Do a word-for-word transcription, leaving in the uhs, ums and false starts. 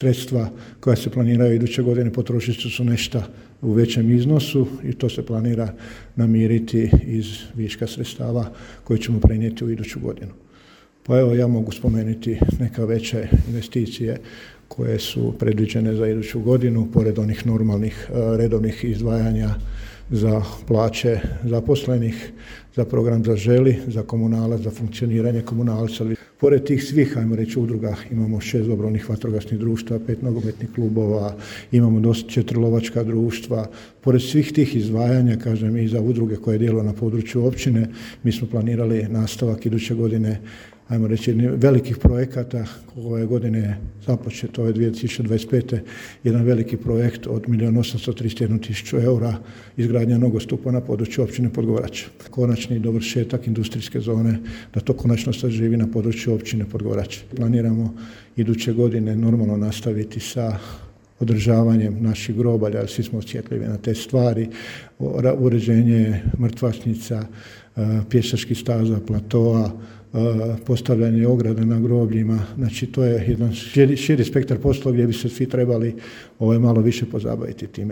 Sredstva koja se planiraju iduće godine potrošit će su nešto u većem iznosu i to se planira namiriti iz viška sredstava koje ćemo prenijeti u iduću godinu. Pa evo, ja mogu spomenuti neka veće investicije koje su predviđene za iduću godinu, pored onih normalnih redovnih izdvajanja za plaće zaposlenih, za program Zaželi, za komunalac, za funkcioniranje komunalca. Pored tih svih, ajmo reći, udruga, imamo šest dobrovoljnih vatrogasnih društva, pet nogometnih klubova, imamo dosta četiri lovačka društva. Pored svih tih izdvajanja, kažem, i za udruge koje djeluju na području općine, mi smo planirali nastavak iduće godine, ajmo reći, velikih projekata. Ove godine je započet, ove dvije tisuće dvadeset pete jedan veliki projekt od milijun osamsto trideset jednu tisuću eura, izgradnja nogostupa na području općine Podgorač. Konačni dovršetak industrijske zone, da to konačno saživi na području općine Podgorač. Planiramo iduće godine normalno nastaviti sa održavanjem naših grobalja, svi smo osjetljivi na te stvari, uređenje mrtvačnica, pješačkih staza, platoa, postavljanje ograde na grobljima. Znači, to je jedan širi, širi spektar posla gdje bi se svi trebali ovaj, malo više pozabaviti time.